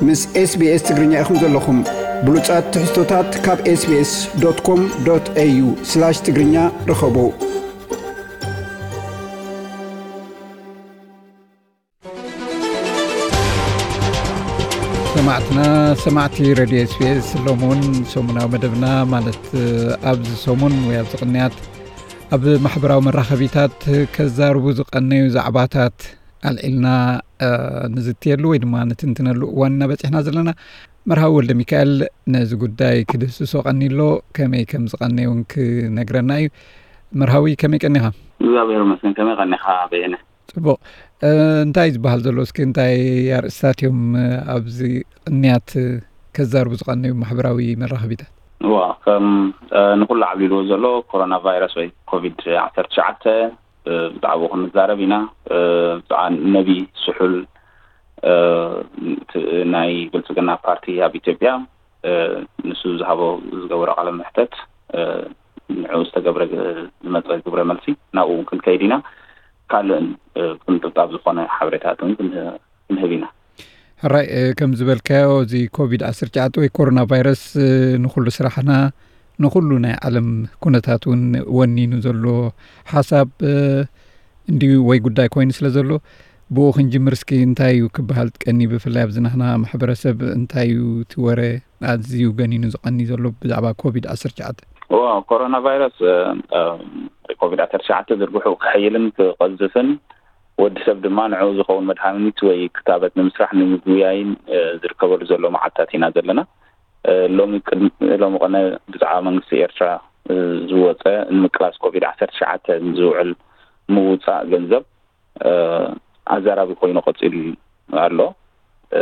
ምስ SBS ትግርኛ ኢኹም ዘለኹም። ብሉጻት ትሕዝቶታት ካብ SBS.com.au/ትግርኛ ርኸቡ። ሰማዕትና፣ ሰማዕቲ ሬድዮ SBS፣ ሎሚ እውን ሰሙናዊ መደብና፣ ማለት ኣብዚ ሰሙን ወይ ኣብዚ ቅንያት ኣብ ማሕበራዊ መራኸቢታት ከዛርቡ ዝቐነዩ ዛዕባታት ኣልዒልና፣ እ፣ ንዝትየሉ ወይ ድማ ንትንትነሉ እዋን እናበጺሕና ዘለና። መርሃዊ ወልደ ሚካኤል ነዚ ጉዳይ ክድህስሶ ቀኒሎ፣ ከመይ ከም ዝቐነየ እውን ክነግረና እዩ። መርሃዊ፣ ከመይ ቀኒኻ? እግዚኣብሔር ይመስገን። ከመይ ቀኒኻ በየነ? ጽቡቕ። እ፣ እንታይ ዝበሃል ዘሎ? እስኪ እንታይ ኣርእስታት እዮም፣ እ፣ ኣብዚ ቅንያት፣ እ፣ ከዛርቡ ዝቐነዩ ማሕበራዊ መራኸቢታት? እዋ፣ ከም፣ እ፣ ንኹሉ ዓብሊልዎ ዘሎ ኮሮና ቫይረስ ወይ ኮቪድ ዓሰርተ ትሽዓተ፣ እ፣ ብዛዕባኡ ክንዛረብ ኢና። እ፣ ብዛዕባ ነቢ ስሑል፣ እ፣ ት-፣ ናይ ብልጽግና ፓርቲ ኣብ ኢትዮጵያ፣ እ፣ ንሱ ዝሃቦ፣ ዝገበሮ ቃለ መሕተት፣ እ፣ ንዕኡ ዝተገብረ ግ-፣ ዝመጸ ግብረ መልሲ፣ ናብኡ እውን ክንከይድ ኢና። ካልእን፣ እ፣ ቅንጥብጣብ ዝኾነ ሓበሬታትን ክንህ-፣ ክንህብ ኢና። ሕራይ፣ እ፣ ከም ዝበልካዮ፣ እዚ ኮቪድ ዓሰርተ ትሽዓተ ወይ ኮሮና ቫይረስ፣ እ፣ ንኹሉ ስራሕና፣ ንኹሉ ናይ ዓለም ኩነታት እውን ወኒኑ ዘሎ ሓሳብ፣ እ፣ እንድዩ ወይ ጉዳይ ኮይኑ ስለ ዘሎ፣ ብኡ ክንጅምር እስኪ። እንታይ እዩ ክበሃል ቀኒ፣ ብፍላይ ኣብዚ ናህና ማሕበረሰብ እንታይ እዩ እቲ ወረ ኣዝዩ ገኒኑ ዝቐኒ ዘሎ ብዛዕባ ኮቪድ ዓሰርተ ትሽዓተ? እዎ፣ ኮሮና ቫይረስ፣ እ፣ እ፣ ኮቪድ ዓሰርተ ትሽዓተ ዝርግሑ ክሕይልን ክቐዝፍን፣ ወዲ ሰብ ድማ ንዕኡ ዝኸውን መድሃኒት ወይ ክታበት ንምስራሕ ንምጉያይን፣ እ፣ ዝርከበሉ ዘሎ መዓልታት ኢና ዘለና። እ፣ ሎሚ ቅድሚ፣ ሎሚ ቅነ ብዛዕባ መንግስቲ ኤርትራ፣ እ፣ ዝወጸ ንምቅላስ ኮቪድ ዓሰርተ ትሽዓተ ዝውዕል ምውጻእ ገንዘብ፣ እ፣ ኣዛራቢ ኮይኑ ቀጺሉ ኣሎ። እ፣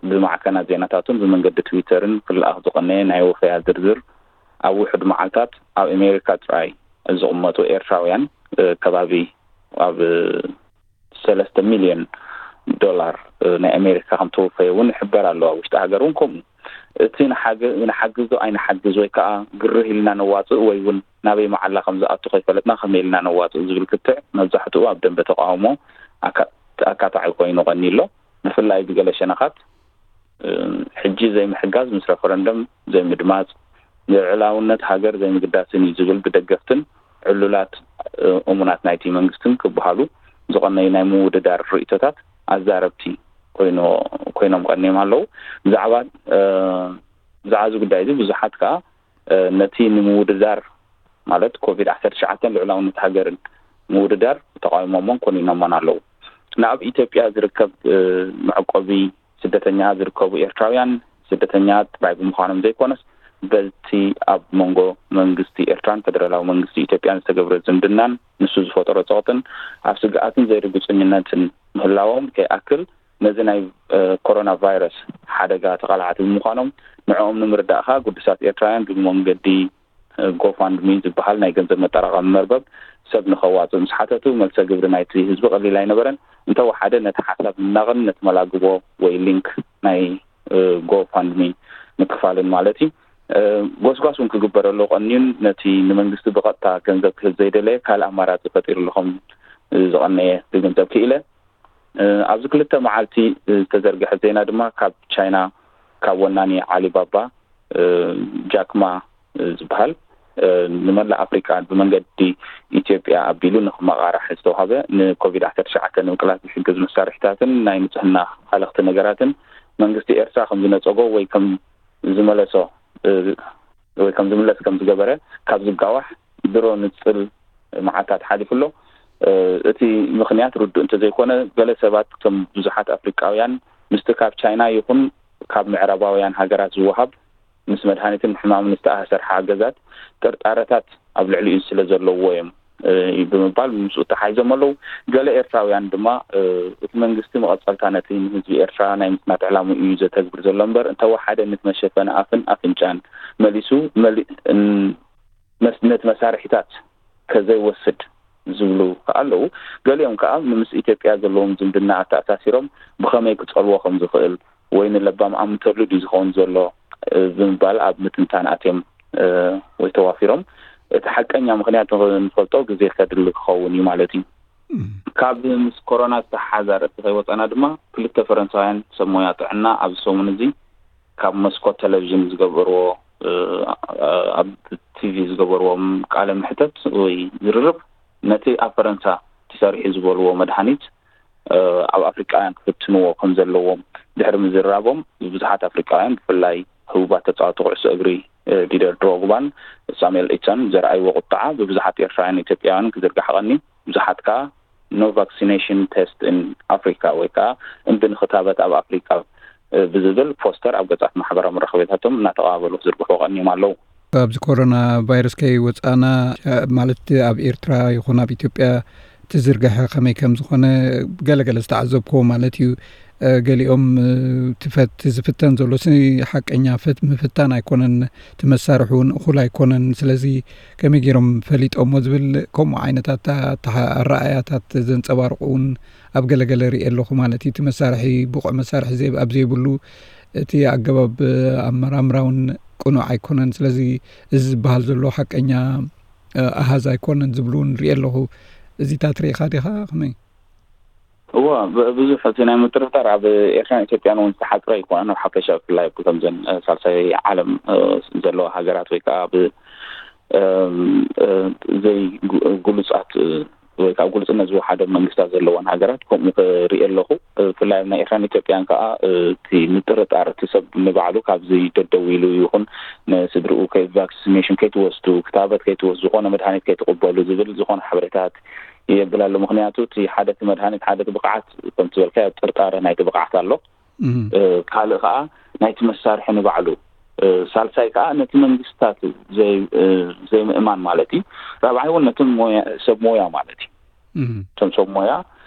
ብማዕከናት ዜናታቱን ብመንገዲ ትዊተርን ክለኣኽ ዝቐነየ ናይ ወፈያ ዝርዝር፣ ኣብ ውሑድ መዓልታት ኣብ ኣሜሪካ ጥራይ ዝቕመጡ ኤርትራውያን፣ እ፣ ከባቢ ኣብ ሰለስተ ሚልዮን ዶላር፣ እ፣ ናይ ኣሜሪካ ከም ተወፈየ እውን ይሕበር ኣሎ። ኣብ ውሽጢ ሃገር እውን ከምኡ። እቲ ንሓገ-፣ ንሓግዞ ኣይንሓግዝ ወይ ከዓ ግርህ ኢልና ነዋፅእ ወይ እውን ናበይ መዓላ ከም ዝኣቱ ከይፈለጥና ከመይ ኢልና ነዋፅእ ዝብል ክትዕ መብዛሕትኡ ኣብ ደንበ ተቃውሞ ኣካ-፣ ኣካታዒ ኮይኑ ቀኒ ኣሎ። ብፍላይ ብገለ ሸነኻት፣ እ፣ ሕጂ ዘይምሕጋዝ ምስ ረፈረንደም ዘይምድማፅ፣ ንልዑላውነት ሃገር ዘይምግዳስን እዩ ዝብል ብደገፍትን ዕሉላት፣ እ፣ እሙናት ናይቲ መንግስትን ክበሃሉ ዝቐነዩ ናይ ምውድዳር ርእይቶታት ኣዛረብቲ ኮይኑ፣ ኮይኖም ቀኒዮም ኣለዉ። ብዛዕባ፣ እ፣ ብዛዕባ እዚ ጉዳይ እዚ ብዙሓት ከኣ፣ እ፣ ነቲ ንምውድዳር፣ ማለት ኮቪድ ዓሰርተ ትሽዓተ ልዑላውነት ሃገርን ምውድዳር ተቃዊሞሞን ኮኒኖሞን ኣለዉ። ንኣብ ኢትዮጵያ ዝርከብ፣ እ፣ መዕቆቢ ስደተኛ ዝርከቡ ኤርትራውያን ስደተኛ ጥራይ ብምዃኖም ዘይኮነስ፣ በቲ ኣብ መንጎ መንግስቲ ኤርትራን ፈደራላዊ መንግስቲ ኢትዮጵያን ዝተገብረ ዝምድናን ንሱ ዝፈጠሮ ጸቕጥን ኣብ ስግኣትን ዘይርግጽኝነትን ምህላዎም ከይኣክል፣ ነዚ ናይ፣ እ፣ ኮሮና ቫይረስ ሓደጋ ተቓላዕቲ ብምዃኖም፣ ንዕኦም ንምርዳእ ከኣ ግዱሳት ኤርትራውያን ብመንገዲ፣ እ፣ ጎፋንድሚ ዝበሃል ናይ ገንዘብ መጠራቐሚ መርበብ ሰብ ንኸዋጽእ ምስ ሓተቱ፣ መልሰ ግብሪ ናይቲ ህዝቢ ቀሊል ኣይነበረን። እንተወሓደ ነቲ ሓሳብ ምናቕን ነቲ መላግቦ ወይ ሊንክ ናይ፣ እ፣ ጎፋንድሚ ምክፋልን ማለት እዩ። እ፣ ጎስጓስ እውን ክግበረሉ ቀንዩን ነቲ ንመንግስቲ ብቐጥታ ገንዘብ ክህብ ዘይደለየ ካልእ ኣማራጺ ፈጢሩሉ ከም ዝቐነየ ክግንዘብ ክኢለ። እ፣ ኣብዚ ክልተ መዓልቲ ዝተዘርግሐ ዜና ድማ ካብ ቻይና፣ ካብ ወናኒ ዓሊባባ፣ እ፣ ጃክማ ዝበሃል፣ እ፣ ንመላእ ኣፍሪቃ ብመንገዲ ኢትዮጵያ ኣቢሉ ንኽመቓራሕ ዝተዋህበ ንኮቪድ ዓሰርተ ትሽዓተ ንምቅላስ ዝሕግዝ መሳርሒታትን ናይ ንጽህና ሃለኽቲ ነገራትን መንግስቲ ኤርትራ ከም ዝነጸጎ ወይ ከም ዝመለሶ፣ እ፣ ወይ ከም ዝምለስ ከም ዝገበረ ካብ ዝጋዋሕ ድሮ ንጽል መዓልታት ሓሊፉ ኣሎ። እ፣ እቲ ምኽንያት ርዱእ እንተዘይኮነ፣ ገለ ሰባት፣ ከም ብዙሓት ኣፍሪቃውያን፣ ምስቲ ካብ ቻይና ይኹን ካብ ምዕራባውያን ሃገራት ዝወሃብ ምስ መድሃኒትን ሕማምን ዝተኣሳሰር ሓገዛት ጥርጣረታት ኣብ ልዕሊኡ ስለ ዘለዎ እዮም፣ እ፣ ብምባል ምስኡ ተሓይዞም ኣለዉ። ገለ ኤርትራውያን ድማ፣ እ፣ እቲ መንግስቲ መቐጸልታ ነቲ ንህዝቢ ኤርትራ ናይ ምጽናት ዕላምኡ እዩ ዘተግብር ዘሎ እምበር፣ እንተወሓደ ነቲ መሸፈኒ ኣፍን ኣፍንጫን መሊሱ መሊ-፣ እን-፣ መስ-፣ ነቲ መሳርሒታት ከዘይወስድ ዝብሉ ከኣ ኣለዉ። ገሊኦም ከኣ ንምስ ኢትዮጵያ ዘለዎም ዝምድና ኣተኣሳሲሮም ብኸመይ ክጸልዎ ከም ዝኽእል ወይ ንለባም ኣምተሉ ድዩ ዝኸውን ዘሎ፣ እ፣ ብምባል ኣብ ምትንታን ኣትዮም፣ እ፣ ወይ ተዋፊሮም። እቲ ሓቀኛ ምኽንያት ንኽ-፣ ንፈልጦ ግዜ ከድሊ ክኸውን እዩ ማለት እዩ። ካብ ምስ ኮሮና ዝተሓሓዘ ኣርእስቲ ከይወፃና ድማ ክልተ ፈረንሳውያን ሰብ ሞያ ጥዕና ኣብዚ ሰሙን እዚ ካብ መስኮት ቴሌቪዥን ዝገበርዎ ኣብ ቲቪ ዝገበርዎም ቃለ ምሕተት ወይ ዝርርብ ነቲ ኣብ ፈረንሳ ተሰሪሑ ዝበልዎ መድሃኒት ኣብ ኣፍሪቃውያን ክፍትንዎ ከም ዘለዎም ድሕሪ ምዝራቦም ብዙሓት ኣፍሪቃውያን ብፍላይ ህቡባት ተፃወቲ ኩዕሶ እግሪ ዲደር ድሮግባን ሳሙኤል ኢቶን ዘርኣይዎ ቁጥዓ ብብዙሓት ኤርትራውያን ኢትዮጵያውያን ክዝርጋሕ ቀኒ ብዙሓት ከዓ no vaccination test in Africa ወይ ከዓ እምቢ ንክታበት ኣብ ኣፍሪቃ ብዝብል ፖስተር ኣብ ገጻት ማሕበራዊ መራኸቢታቶም እናተቐባበሉ ክዝርግሑ ቀኒዮም ኣለዉ። ኣብዚ ኮሮና ቫይረስ ከይወፃእና ማለት ኣብ ኤርትራ ይኹን ኣብ ኢትዮጵያ ትዝርግሐ ከመይ ከም ዝኾነ ገለገለ ዝተዓዘብክዎ ማለት እዩ። ገሊኦም ትፈት ዝፍተን ዘሎ ሓቀኛ ምፍታን ኣይኮነን፣ ትመሳርሑ እውን እኹል ኣይኮነን። ስለዚ ከመይ ገይሮም ፈሊጦሞ ዝብል ከምኡ ዓይነታት ኣረኣእያታት ዘንፀባርቑ እውን ኣብ ገለገለ ርኢ ኣለኹ ማለት እዩ። እቲ መሳርሒ ብቑዕ መሳርሒ ኣብ ዘይብሉ እቲ ኣገባብ ኣመራምራ እውን ቅኑዕ ኣይኮነን። ስለዚ እዚ ዝበሃል ዘሎ ሓቀኛ ኣሃዝ ኣይኮነን ዝብሉ እውን ርኢ ኣለኹ። እዚታት ርኢኻ ዲኻ ከመይ? እዎ፣ ብዙሕ እቲ ናይ ምጥርጣር ኣብ ኤርትራን ኢትዮጵያን እውን ዝተሓፅረ ኣይኮነን። ኣብ ሓፈሻ ብፍላይ ኣብቲ ከምዘን ሳልሳይ ዓለም ዘለዋ ሃገራት ወይ ከዓ ብ ዘይግሉፃት ወይ ከዓ ግሉፅነት ዝወሓደ መንግስታት ዘለወን ሃገራት ከምኡ ክርኢ ኣለኹ። ብፍላይ ኣብ ናይ ኤርትራን ኢትዮጵያን ከዓ እቲ ምጥርጣር እቲ ሰብ ንባዕሉ ካብዚ ደደው ኢሉ ይኹን ንስድርኡ ቫክሲኔሽን ከይትወስዱ፣ ክታበት ከይትወስዱ፣ ዝኾነ መድሃኒት ከይትቕበሉ ዝብል ዝኾነ ሓበሬታት የብል ኣሎ። ምክንያቱ እቲ ሓደ እቲ መድሃኒት ሓደ እቲ ብቕዓት ከምቲ ዝበልካዮ ጥርጣረ ናይቲ ብቕዓት ኣሎ። ካልእ ከዓ ናይቲ መሳርሒ ንባዕሉ፣ ሳልሳይ ከዓ ነቲ መንግስታት ዘይምእማን ማለት እዩ። ራብዓይ እውን ነቶም ሰብ ሞያ ማለት እዩ። እቶም ሰብ ሞያ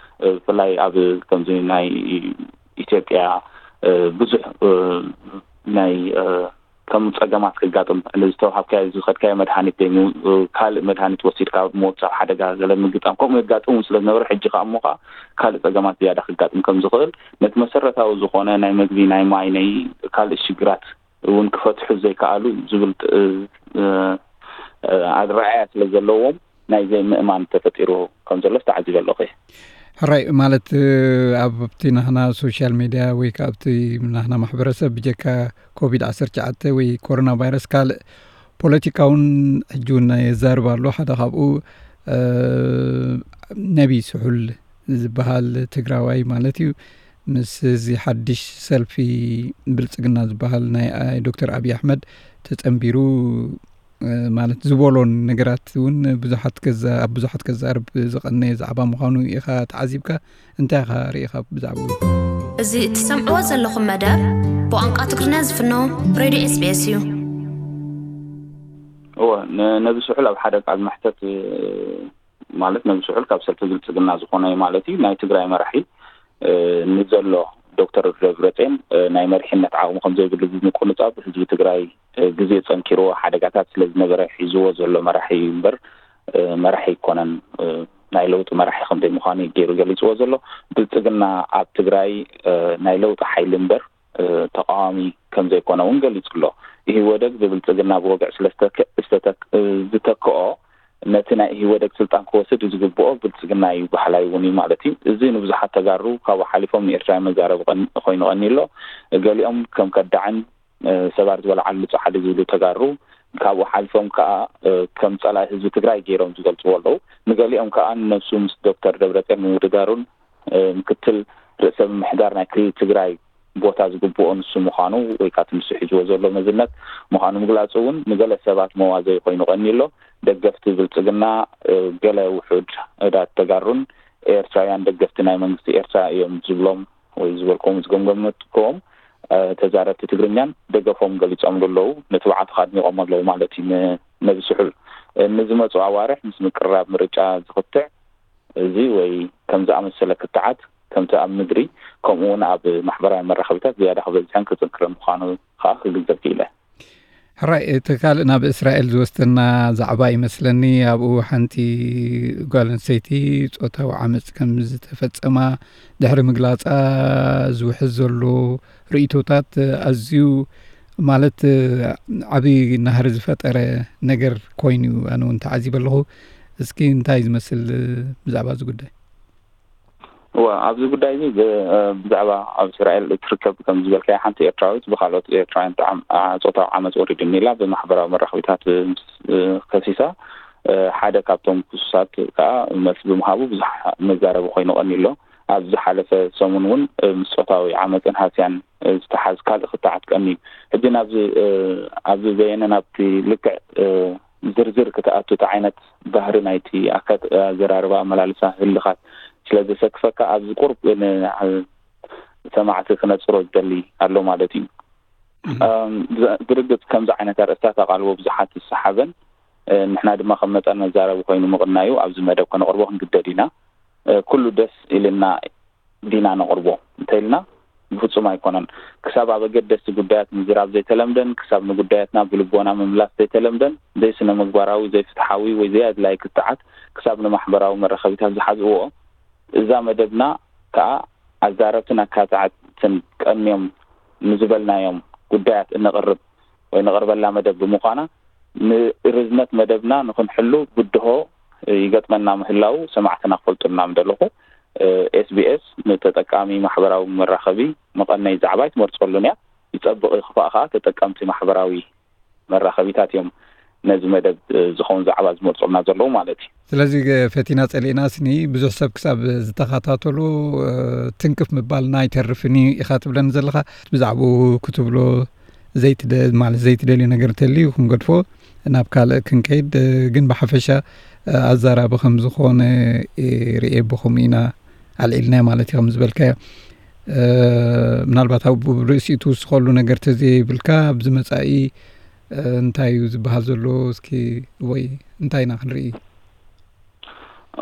ብፍላይ ኣብ ከምዚ ናይ ኢትዮጵያ ብዙሕ ናይ ከም ፀገማት ክጋጥም ዝተዋሃብካዮ ዝኸድካዮ መድሃኒት ኮይኑ ካልእ መድሃኒት ወሲድካ ምውፃእ ሓደጋ ገለ ምግጣም ከምኡ የጋጥሙ ስለዝነበረ ሕጂ ከዓ እሞ ከዓ ካልእ ፀገማት ዝያዳ ክጋጥም ከም ዝኽእል ነቲ መሰረታዊ ዝኾነ ናይ መግቢ ናይ ማይ ናይ ካልእ ሽግራት እውን ክፈትሑ ዘይከኣሉ ዝብል ኣድረኣያ ስለ ዘለዎም ናይ ዘይምእማን ተፈጢሩ ከም ዘሎ ዝተዓዚበ ኣለኹ። ሕራይ ማለት ኣብቲ ናህና ሶሻል ሜድያ ወይ ከዓ ኣብቲ ናህና ማሕበረሰብ ብጀካ ኮቪድ ዓሰርተ ትሽዓተ ወይ ኮሮና ቫይረስ ካልእ ፖለቲካውን ሕጂ እውን የዛርብ ኣሎ። ሓደ ካብኡ ነቢ ስሑል ዝበሃል ትግራዋይ ማለት እዩ ምስ እዚ ሓድሽ ሰልፊ ብልፅግና ዝበሃል ናይ ዶክተር ኣብይ ኣሕመድ ተፀንቢሩ ማለት ዝበሎን ነገራት እውን ብዙሓት ገዛ ኣብ ብዙሓት ገዛርብ ዝቐነየ ዛዕባ ምዃኑ ኢኻ ተዓዚብካ። እንታይ ኢኻ ርኢኻ ብዛዕባኡ? እዚ እትሰምዕዎ ዘለኹም መደብ ብቋንቋ ትግርኛ ዝፍኖ ሬድዮ ኤስቢኤስ እዩ። እወ፣ ነቢ ስሑል ኣብ ሓደ ቃል መሕተት ማለት ነቢ ስሑል ካብ ሰልፊ ብልፅግና ዝኾነ ማለት እዩ ናይ ትግራይ መራሒ ንዘሎ ዶክተር ደብረፅዮን ናይ መሪሕነት ዓቕሚ ከም ዘይብሉ ብምቁንፃብ ህዝቢ ትግራይ ግዜ ፀንኪርዎ ሓደጋታት ስለ ዝነበረ ሒዝዎ ዘሎ መራሒ እዩ እምበር መራሒ ኣይኮነን። ናይ ለውጢ መራሒ ከም ዘይምዃኑ እዩ ገይሩ ገሊፅዎ ዘሎ። ብልፅግና ኣብ ትግራይ ናይ ለውጢ ሓይሊ እምበር ተቃዋሚ ከም ዘይኮነ እውን ገሊፁ ኣሎ። ኢህወደግ ብብልፅግና ብወግዒ ስለ ዝተተክኦ ነቲ ናይ ኢህወደግ ስልጣን ክወስድ ዝግብኦ ብልፅግና እዩ በሃላይ እውን እዩ ማለት እዩ። እዚ ንብዙሓት ተጋሩ ካብኡ ሓሊፎም ንኤርትራውያን መዛረቢ ኮይኑ ቀኒ ኣሎ። ገሊኦም ከም ከዳዕን ሰባት ዝበልዓሉ ፃዕዲ ዝብሉ ተጋሩ ካብኡ ሓሊፎም ከዓ ከም ፀላኢ ህዝቢ ትግራይ ገይሮም ዝገልፅዎ ኣለዉ። ንገሊኦም ከዓ ንነብሱ ምስ ዶክተር ደብረፅዮን ምውድዳሩን ምክትል ርእሰ ምምሕዳር ናይ ክልል ትግራይ ቦታ ዝግብኦ ንሱ ምዃኑ ወይ ከዓ እቲ ንሱ ሒዝዎ ዘሎ መዝነት ምዃኑ ምግላፁ እውን ንገለ ሰባት መዋዘይ ኮይኑ ቀኒ ኣሎ። ደገፍቲ ብልፅግና ገለ ውሑድ እዳት ተጋሩን ኤርትራውያን ደገፍቲ ናይ መንግስቲ ኤርትራ እዮም ዝብሎም ወይ ዝበልክዎም ዝገምገምክዎም ተዛረብቲ ትግርኛን ደገፎም ገሊፆምሉ ኣለዉ። ንትብዓቱ ኣድኒቖሞ ኣለዉ ማለት እዩ። ንነብስሑል ንዝመፁ ኣዋርሕ ምስ ምቅርራብ ምርጫ ዝኽትዕ እዚ ወይ ከም ዝኣመሰለ ክትዓት ከምቲ ኣብ ምድሪ ከምኡ እውን ኣብ ማሕበራዊ መራኸቢታት ዝያዳ ክበዝሕን ክፅንክርን ምዃኑ ከዓ ክግንዘብ ክኢለ። ሕራይ እቲ ካልእ ናብ እስራኤል ዝወስደና ዛዕባ ይመስለኒ። ኣብኡ ሓንቲ ጓል ኣንስተይቲ ፆታዊ ዓመፅ ከም ዝተፈፀማ ድሕሪ ምግላፃ ዝውሕዝ ዘሎ ርእይቶታት ኣዝዩ ማለት ዓብዪ ናህሪ ዝፈጠረ ነገር ኮይኑ እዩ ኣነ እውን ተዓዚበ ኣለኹ። እስኪ እንታይ ዝመስል ብዛዕባ እዚ ጉዳይ? እዋ፣ ኣብዚ ጉዳይ እዚ ብ-፣ እ፣ ብዛዕባ ኣብ እስራኤል እትርከብ፣ ከም ዝበልካዮ፣ ሓንቲ ኤርትራዊት ብካልኦት ኤርትራውያን ጥዓም-፣ ኣ፣ ጾታዊ ዓመጽ ወሪዱኒ ኢላ ብማሕበራዊ መራኸቢታት፣ እ፣ ምስ፣ እ፣ ከሲሳ፣ እ፣ ሓደ ካብቶም ክሱሳት ከኣ መልሲ ብምሃቡ ብዙሕ መዛረቢ ኮይኑ ቀንዩ ኣሎ። ኣብ ዝሓለፈ ሰሙን እውን፣ እ፣ ምስ ጾታዊ ዓመጽን ሃስያን፣ እ፣ ዝተሓዝ ካልእ ክትዓት ቀንዩ። ሕጂ ናብዚ፣ እ፣ ኣብዚ በየነ ናብቲ ልክዕ፣ እ፣ ዝርዝር ክትኣቱ፣ እቲ ዓይነት ባህሪ ናይቲ ኣካት-፣ ኣዘራርባ፣ ኣመላልሳ፣ ህልኻት ስለ ዘሰክፈካ፣ ኣብዚ ቁሩብ ን-፣ ሰማዕቲ ክነጽሮ ዝደሊ ኣሎ ማለት እዩ። እም፣ ብዛ-፣ ብርግጽ ከምዚ ዓይነት ኣርእስታት ኣቓልቦ ብዙሓት ዝሰሓበን፣ እ፣ ንሕና ድማ ከም መጠን መዛረቢ ኮይኑ ምቕናዩ ኣብዚ መደብ ከነቕርቦ ክንግደድ ኢና። እ፣ ኩሉ ደስ ኢልና ዲና ነቕርቦ እንተኢልና፣ ብፍጹም ኣይኮነን። ክሳብ ኣብ ኣገደስቲ ጉዳያት ምዝራብ ዘይተለምደን፣ ክሳብ ንጉዳያትና ብልቦና ምምላስ ዘይተለምደን፣ ዘይስነ ምግባራዊ፣ ዘይፍትሓዊ ወይ ዘይኣድላዪ ክትዓት ክሳብ ንማሕበራዊ መራኸቢታት ዝሓዝእዎ፣ እዛ መደብና ከኣ ኣዛረብትን ኣካታዕትን ቀንዮም ንዝበልናዮም ጉዳያት እነቕርብ ወይ ነቕርበላ መደብ ብምዃና፣ ንርዝነት መደብና ንኽንሕሉ ብድሆ ይገጥመና ምህላው ሰማዕትና ክፈልጡልና ምደለኹ። ኤስቢኤስ ንተጠቃሚ ማሕበራዊ መራኸቢ መቐነይ ዛዕባ ኣይትመርጸሉን እያ። ይጸብቕ ይኽፋእ ከኣ ተጠቀምቲ ማሕበራዊ መራኸቢታት እዮም ነዚ መደብ፣ እ፣ ዝኸውን ዛዕባ ዝመርጹልና ዘለዉ ማለት እዩ። ስለዚ፣ ገ-፣ ፈቲና ጸሊእና ስኒ ብዙሕ ሰብ ክሳብ ዝተኸታተሉ፣ እ፣ ትንክፍ ምባልና ኣይተርፍን እዩ ኢኻ ትብለኒ ዘለኻ። ብዛዕባኡ ክትብሎ ዘይትደ-፣ ማለት ዘይትደልዩ ነገር እንተልዩ ክንገድፎ ናብ ካልእ ክንከይድ፣ እ፣ ግን ብሓፈሻ፣ እ፣ ኣዛራቢ ከም ዝኾነ፣ እ፣ ርኤ ብኸምኡ ኢና ኣልዒልና ማለት እዩ፣ ከም ዝበልካዮ። እ፣ ምናልባት ኣብ ርእሲኡ ትውስኸሉ ነገር ተዘይብልካ፣ ኣብዚ መጻኢ፣ እ፣ እንታይ እዩ ዝበሃል ዘሎ? እስኪ፣ ወይ እንታይ ኢና ክንርኢ?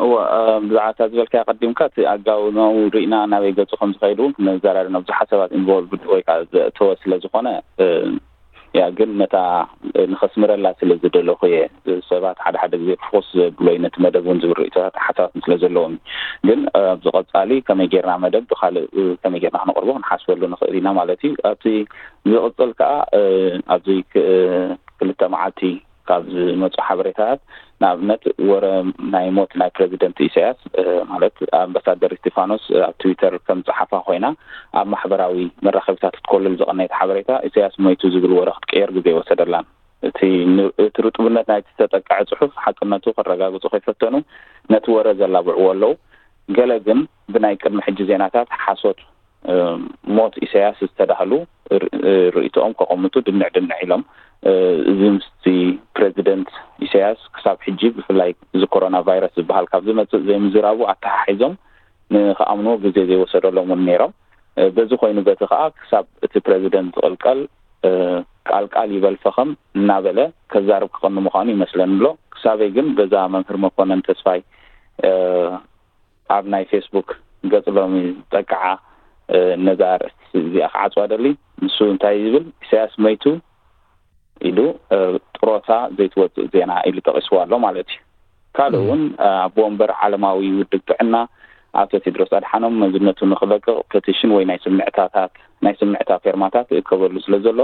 እወ፣ እ፣ ብዛዕባ እታ ዝበልካያ ቀዲምካ፣ እቲ ኣጋውናኡ ርኢና ናበይ ገጹ ከም ዝኸይድ እውን ክንዘራረብ፣ ብዙሓት ሰባት ኢንቮልቭድ ወይ ከዓ ዘእተወ ስለ ዝኾነ፣ እ፣ ያ፣ ግን ነታ፣ እ፣ ንኸስምረላ ስለ ዝደለኹ እየ። ሰባት ሓደ ሓደ ግዜ ፍኹስ ዘብሎ እዩ ነቲ መደብ እውን ዝብል ርእይቶታት ሓሳባትን ስለ ዘለዎም እዩ። ግን፣ እ፣ ኣብዚ ቀጻሊ ከመይ ጌርና መደብ ብኻልእ፣ እ፣ ከመይ ጌርና ክነቕርቦ ክንሓስበሉ ንኽእል ኢና ማለት እዩ። ኣብቲ ዝቕጽል ከኣ፣ እ፣ ኣብዚ ክ-፣ እ፣ ክልተ መዓልቲ ካብ ዝመጹ ሓበሬታታት፣ ንኣብነት፣ ወረ ናይ ሞት ናይ ፕረዚደንት ኢሳያስ፣ እ፣ ማለት ኣምባሳደር እስቲፋኖስ ኣብ ትዊተር ከም ጸሓፋ ኮይና ኣብ ማሕበራዊ መራኸቢታት ክትኮልል ዝቐነየት ሓበሬታ፣ ኢሳያስ ሞይቱ ዝብል ወረ ክትቅየር ግዜ ኣይወሰደላን። እቲ ን-፣ እቲ ርጡብነት ናይቲ ዝተጠቅዐ ጽሑፍ ሓቅነቱ ከረጋግጹ ከይፈተኑ ነቲ ወረ ዘላብዕዎ ኣለዉ። ገለ ግን ብናይ ቅድሚ ሕጂ ዜናታት ሓሶት፣ እ፣ ሞት ኢሳያስ ዝተዳህሉ ር-፣ እ፣ ርእይቶኦም ከቐምጡ ድንዕ ድንዕ ኢሎም። እ፣ እዚ ምስቲ ፕረዚደንት ኢሳያስ ክሳብ ሕጂ፣ ብፍላይ እዚ ኮሮና ቫይረስ ዝበሃል ካብ ዝመጽእ ዘይምዝራቡ ኣተሓሒዞም ንኽኣምንዎ ግዜ ዘይወሰደሎም እውን ነይሮም። እ፣ በዚ ኮይኑ በቲ ከኣ ክሳብ እቲ ፕረዚደንት ዝቕልቀል፣ እ፣ ቃል ቃል ይበል ፈኸም እናበለ ከዛርብ ክቐኒ ምዃኑ ይመስለኒ ኣሎ። ክሳበይ ግን በዛ መምህር መኮነን ተስፋይ፣ እ፣ ኣብ ናይ ፌስቡክ ገጽ ሎሚ ዝጠቅዓ፣ እ፣ ነዛ ኣርእስቲ እዚኣ ክዓጽዋ ደሊ። ንሱ እንታይ ይብል? "ኢሳያስ መይቱ" ኢሉ፣ እ፣ ጥሮታ ዘይትወጽእ ዜና ኢሉ ጠቒስዋ ኣሎ ማለት እዩ። ካልእ እውን፣ እ፣ ኣቦ ወንበር ዓለማዊ ውድብ ጥዕና ኣቶ ቴድሮስ ኣድሓኖም መዝነቱ ንኽለቅቕ ፐቲሽን ወይ ናይ ስምዕታታት፣ ናይ ስምዕታ ፌርማታት ይእከበሉ ስለ ዘሎ፣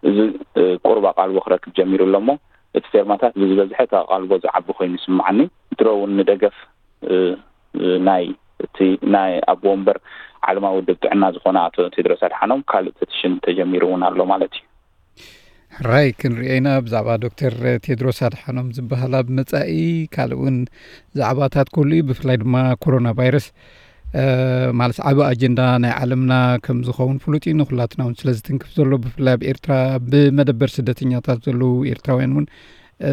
እዚ፣ እ፣ ቁሩብ ኣቓልቦ ክረክብ ጀሚሩ ኣሎ እሞ፣ እቲ ፌርማታት ብዝበዝሐ እቲ ኣቓልቦ ዝዓቢ ኮይኑ ይስምዓኒ። ድሮ እውን ንደገፍ፣ እ፣ እ፣ ናይ እቲ ናይ ኣቦ ወንበር ዓለማዊ ውድብ ጥዕና ዝኾነ ኣቶ ቴድሮስ ኣድሓኖም ካልእ ፐቲሽን ተጀሚሩ እውን ኣሎ ማለት እዩ። ሕራይ ክንሪኦ ኢና ብዛዕባ ዶክተር ቴድሮስ ኣድሓኖም ዝበሃል ኣብ መጻኢ። ካልእ እውን ዛዕባታት ክህሉ እዩ፣ ብፍላይ ድማ ኮሮና ቫይረስ፣ እ፣ ማለት ዓቢ ኣጀንዳ ናይ ዓለምና ከም ዝኸውን ፍሉጥ እዩ። ንኹላትና እውን ስለ ዝትንክፍ ዘሎ፣ ብፍላይ ኣብ ኤርትራ ብመደበር ስደተኛታት ዘለዉ ኤርትራውያን እውን፣ እ፣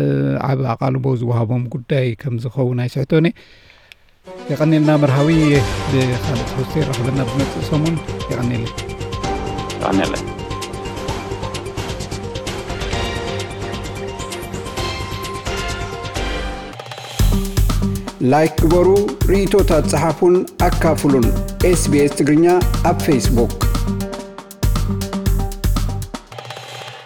ዓቢ ኣቓልቦ ዝወሃቦም ጉዳይ ከም ዝኸውን ኣይስሕቶን እየ። የቐኔልና መርሃዊ። ብኻልእ ትሕዝቶ ይራኸበና ብመጽእ ሰሙን። የቐኔልና። የቐኔልና። ላይክ ግበሩ፣ ርእይቶታት ጸሓፉን ኣካፍሉን። ኤስቢኤስ ትግርኛ ኣብ ፌስቡክ።